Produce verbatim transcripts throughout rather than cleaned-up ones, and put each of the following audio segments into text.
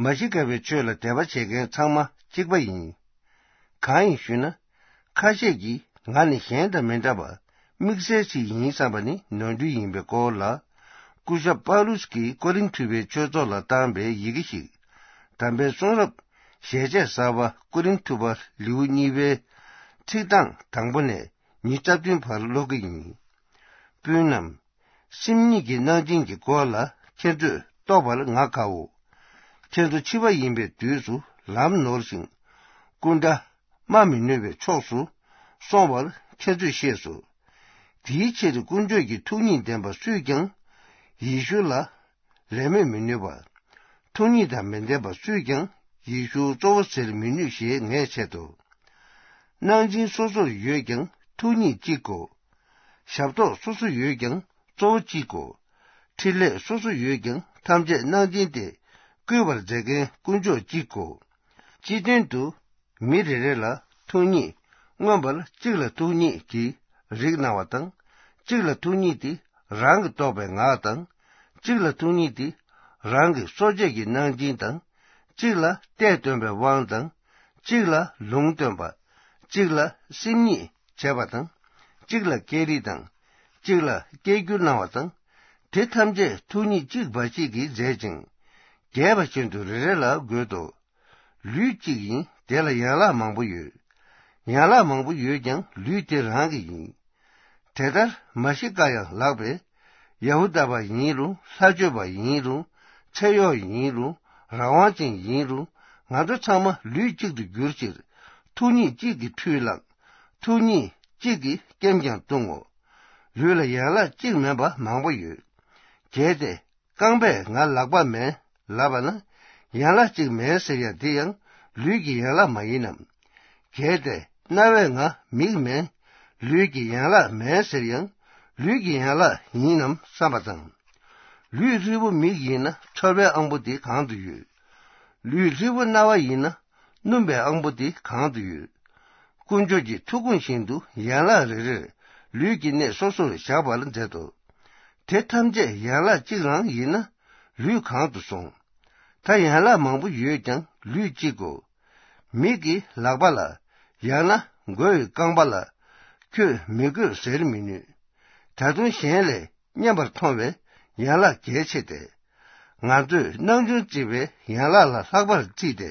མ་ཤི་ཀ་པའི་ཆོས་ལ་དད་པ་བྱེད་མཁན་ཚང་མ་གཅིག་པ་ཡིན། གང་ཡིན་ཞུས་ན། ཁ་ཤས་ཀྱིས་ང་ནི་གཞན་དང་མི་འདྲ་བར་དམིགས་བསལ་ཞིག་ཡིན་བསམ་པ་ནི་ནོར་འཁྲུལ་ཡིན་པའི་སྐོར་ལ། སྐུ་ཞབས་པཱ་ལུས་ཀྱིས་ཀོ་རིན་ཐུ་པའི་ཆོས་ཚོགས་ལ་བཏང་པའི་ཡི་གེ་ཞིག་དམ་པའི་གསུང་རབ་ཞལ་ཆད་གསར་པ་ཀོ་རིན་ཐུ་པ་ལེའུ་གཉིས་པའི་ཚིག་གྲངས་དང་པོ་ནས་ཉི་ཤུ་རྩ་བདུན་བར་ཀློག་གི་ཡིན། སྤུན་རྣམས། སེམས་ཉིད་ཀྱི་གནང་སྦྱིན་གྱི་སྐོར་ལ་ཁྱེད་ཚོས་རྟོགས་པར་ང་དགའ་འོ། ཁྱེད་ཚོ་འཆི་བ་ཡིན་པའི་དུས་སུ་ལམ་ནོར་ཞིང་། སྐུ་འདྲ། སྨྲ་མི་ནུས་པའི་ཕྱོགས་སུ་སོང་བར་ཁྱེད་ཚོས་ཤེས་སོ། དེའི་ཕྱིར་དཀོན་མཆོག་གི་ཐུགས་ཉིད་ལྡན་པ་སུས་ཀྱང་ཡེ་ཤུ་ལ་ལད་མོས་མི་ནུས་པ། ཐུགས་ཉིད་དང་མི་ལྡན་པ་སུས་ཀྱང་ཡེ་ཤུ་གཙོ་བོ་ཟེར་མི་ནུས་ཞེས་ངས་འཆད་དོ། གནང་སྦྱིན་སོ་སོར་ཡོད་ཀྱང་ཐུགས་ཉིད་གཅིག་གོ། ཞབས་ཏོག་སོ་སོ་ཡོད་ཀྱང་གཙོ་བོ་གཅིག་གོ། འཕྲིན་ལས་སོ་སོ་ཡོད་ཀྱང་ཐམས་ཅད་གནང་སྦྱིན་ཏེ་བསྐུལ་བར་མཛད་མཁན་དཀོན་མཆོག་གཅིག་གོ། སྤྱི་དོན་དུ། མི་རེ་རེ་ལ་ཐུགས་ཉིད་མངོན་པར་གཅིག་ལ་ཐུགས་ཉིད་ཀྱི་རིགས་གནང་བ་དང་། གཅིག་ལ་ཐུགས་ཉིད་དེ་རང་གིས་རྟོགས་པའི་ངག་དང་། གཅིག་ལ་ཐུགས་ཉིད་དེ་རང་གི་གསོ་དཔྱད་ཀྱི་གནང་སྦྱིན་དང་། གཅིག་ལ་གཏེར་སྟོན་པའི་དབང་དང་། གཅིག་ལ་ལུང་སྟོན་པ། གཅིག་ལ་སེམས་ཉིད་བྱེད་པ་དང་། གཅིག་ལ་སྐད་རིགས་དང་། གཅིག་ལ་སྐད་སྒྱུར་གནང་བ་དང་། དེ་ཐམས་ཅད་ཐུགས་ཉིད་གཅིག་འབའ་ཞིག་གིས་མཛད་ཅིང་། རྒྱས་པ་བཞིན་དུ་རེ་རེ་ལ་དགོད་དོ། ལུས་གཅིག་ཡིན་དེ་ལ་ཡན་ལག་མང་པོ་ཡོད། ཡན་ལག་མང་པོ་ཡོད་ཀྱང་ལུས་དེ་རང་གི་ཡིན། དེ་ལྟར་མ་ཤི་ཀ་ཡང་ལགས་པས། ཡ་ཧུ་དཱ་པ་ཡིན་རུང་ལྷ་ཆོས་པ་ཡིན་རུང་ཚེ་གཡོག་ཡིན་རུང་རང་དབང་ཅན་ཡིན་རུང་ང་ཚོ་ཚང་མ་ལུས་གཅིག་ཏུ་གྱུར་ཕྱིར་ཐུགས་ཉིད་གཅིག་གིས་ཁྲུས་བླངས། ཐུགས་ཉིད་གཅིག་གིས་སྐེམ་ཀྱང་བཏུང་ངོ་། ལུས་ལ་ཡན་ལག་གཅིག་མིན་པ་མང་པོ་ཡོད། གལ་ཏེ། རྐང་པས་ང་ལག་པ་མིན་ལབ་པ་ན། ཡན་ལག་གཅིག་མིན་ཟེར་ཡང་དེ་ཡང་ལུས་ཀྱི་ཡན་ལག་མ་ཡིན་ནམ། གལ་ཏེ་རྣ་བས་ང་མིག་མིན་ལུས་ཀྱི་ཡན་ལག་མིན་ཟེར་ཡང་ལུས་ཀྱི་ཡན་ལག་ཡིན་ནམ་བསམ་པ་དང་། ལུས་ལྷའི་བུ་མིག་ཡིན་ན་ཚོར་བའི་ཨང་པོ་དེ་གང་དུ་ཡོད། ལུས་ལྷའི་བུ་རྣ་བ་ཡིན་ན་སྣུམ་པའི་ཨང་པོ་དེ་གང་དུ་ཡོད། དཀོན་མཆོག་གི་ཐུགས་དགོངས་བཞིན་དུ་ཡན་ལག་རེ་རེར་ལུས་ཀྱི་གནས་སོ་སོར་བཞག་པར་མཛད་དོ། དེ་ཐམས་ཅད་ཡན་ལག་གཅིག་རང་ཡིན་ན་ལུས་གང་དུ་སོང་། ད་ཡན་ལག་མང་པོ་ཡོད་ཀྱང་ལུས་གཅིག་གོ། མིག་གིས་ལག་པ་ལ། ཡང་ན་མགོ་ཡི་རྐང་པ་ལ། ཁྱོད་མི་དགོས་ཟེར་མི་ནུས། ད་དུང་གཞན་ལས་སྙན་པར་མཐོང་བའི་ཡན་ལག་གལ་ཆེ་སྟེ། ང་ཚོས་སྣང་ཆུང་བརྩི་བའི་ཡན་ལག་ལ་ལྷག་པར་བརྩིས་ཏེ།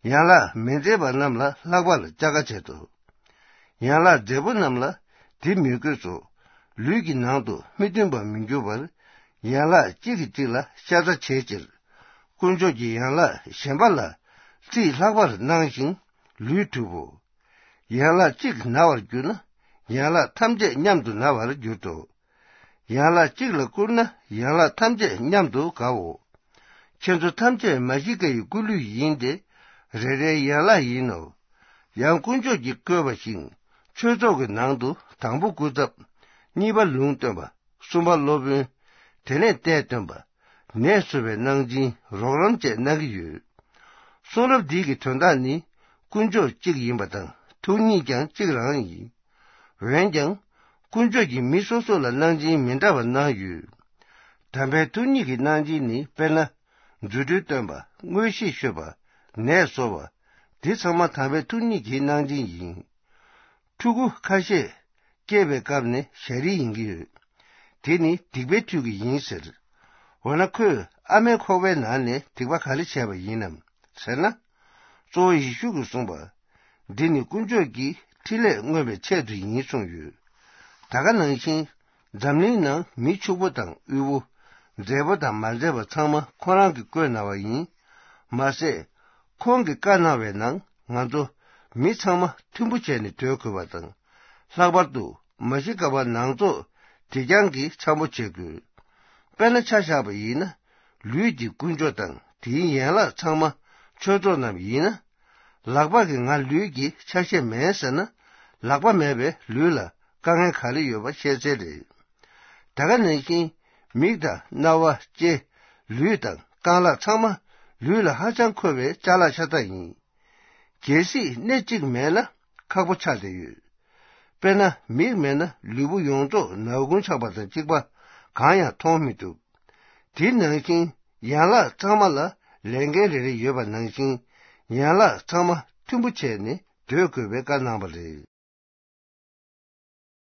ཡན་ལག་མི་མཛེས་པ་རྣམས་ལ་ལྷག་པར་བཅག་དཀའ་བྱེད་དོ། ཡན་ལག་མཛེས་པོ་རྣམས་ལ་དེ་མི་དགོས་སོ། ལུས་ཀྱི་ནང་དུ་མི་མཐུན་པར་མི་འགྱུར་བར། ཡན་ལག་གཅིག་གིས་གཅིག་ལ་ཤ་ཚ་བྱེད་ཕྱིར། དཀོན་མཆོག་གིས་ཡན་ལག་གཞན་པ་ལ་རྩིས་ལྷག་པར་གནང་ཞིང་ལུས་གྲུབ་བོ། ཡན་ལག་གཅིག་ན་བར་གྱུར་ན་ཡན་ལག་ཐམས་ཅད་མཉམ་དུ་ན་བར་འགྱུར་ཏོ། ཡན་ལག་གཅིག་ལ་བསྐུར་ན་ཡན་ལག་ཐམས་ཅད་མཉམ་དུ་དགའ་འོ། ཁྱེད་ཚོ་ཐམས་ཅད་མ་ཤི་ཀ་ཡི་སྐུ་ལུས་ཡིན་ཏེ། རེ་རེའི་ཡན་ལག་ཡིན་ནོ། ཡང་དཀོན་མཆོག་གིས་བཀོད་པ་བཞིན་ཆོས་ཚོགས་ཀྱི་ནང་དུ་དང་པོ་སྐུ་ཚབ། གཉིས་པ་ལུང་སྟོན་པ། གསུམ་པ་སློབ་དཔོན། དེ་ནས་གཏེར་སྟོན་པ། ནད་གསོ་བའི་གནང་སྦྱིན་རོགས་རམ་བཅས་གནང་གི་ཡོད། གསུང་རབ་འདི་གི་དོན་དག་ནི་དཀོན་མཆོག་གཅིག་ཡིན་པ་དང་ཐུགས་ཉིད་ཀྱང་གཅིག་རང་ཡིན། འོན་ཀྱང་། དཀོན་མཆོག་གིས་མི་སོ་སོ་ལ་གནང་སྦྱིན་མི་འདྲ་བ་གནང་ཡོད། དམ་པའི་ཐུགས་ཉིད་ཀྱི་གནང་སྦྱིན་ནི་དཔེར་ན། རྫུ་འཕྲུལ་སྟོན་པ། མངོན་ཤེས་ཤོད་པ། ནད་གསོ་བ། འདི་ཚང་མ་དམ་པའི་ཐུགས་ཉིད་ཀྱི་གནང་སྦྱིན་ཡིན། ཕྲུ་གུ་ཁ་ཤས་སྐྱེས་པའི་སྐབས་ནས་ཞ་རིལ་ཡིན་གྱི་ཡོད། དེ་ནི་སྡིག་པའི་མཐུ་གིས་ཡིན་ཟེར། འོ་ན་ཁོས་ཨ་མའི་ཁོག་པའི་ནང་ནས་སྡིག་པ་ག་རེ་བྱས་པ་ཡིན་ནམ་ཟེར་ན། གཙོ་བོ་ཡེ་ཤུ་གིས་གསུངས་པ། འདི་ནི་དཀོན་མཆོག་གི་འཕྲིན་ལས་མངོན་པའི་ཆེད་དུ་ཡིན་གསུངས་ཡོད། ད་ག་ནང་བཞིན། འཛམ་གླིང་ནང་མི་ཕྱུག་པོ་དང་དབུལ་པོ། མཛེས་པོ་དང་མ་མཛེས་པ་ཚང་མ་ཁོ་རང་གིས་བཀོད་གནང་བ་ཡིན། མ་ཟད། ཁོང་གིས་བཀའ་གནང་བའི་ནང་ང་ཚོ་མི་ཚང་མ་མཐུན་པོ་བྱས་ནས་སྡོད་དགོས་པ་དང་། ལྷག་པར་དུ་མ་ཤི་ཀ་པ་ནང་ཚོགས་དེ་རྐྱང་གིས་འཆམ་པོ་བྱེད་དགོས། དཔེར་ན་ཆ་བཞག་པ་ཡིན་ན། ལུས་འདི་དཀོན་མཆོག་དང་དེའི་ཡན་ལག་ཚང་མ་ཆོས་ཚོགས་རྣམས་ཡིན་ན། ལག་པ་གིས་ང་ལུས་ཀྱི་ཆ་ཤས་མིན་ཟེར་ན། ལག་པ་མེད་པའི་ལུས་ལ་དཀའ་ངལ་ག་རེ་ཡོད་པ་ཤེས་གསལ་རེད། ད་ག་ནང་བཞིན་མིག་དང་རྣ་བ་ལྕེ་ལུས་དང་རྐང་ལག་ཚང་མ་ལུས་ལ་ཧ་ཅང་མཁོ་བའི་ཅ་ལག་ཤ་སྟག་ཡིན། གལ་སྲིད་སྣེ་གཅིག་མེད་ན་ཁག་པོ་ཆགས་བསྡད་ཡོད། དཔེར་ན་མིག་མེད་ན་ལུས་པོ་ཡོངས་རྫོགས་ནག་ཁུང་ཆགས་པ་དང་གཅིག་པ་གང་ཡང་མཐོང་མི་ཐུབ། དེ་ནང་བཞིན་ཡན་ལག་ཚང་མ་ལ་ ལས་འགན་རེ་རེ་ཡོད་པ་ནང་བཞིན་ཡན་ལག་ཚང་མ་མཐུན་པོ་བྱས་ནས་སྡོད་དགོས་པའི་བཀའ་གནང་བ་རེད།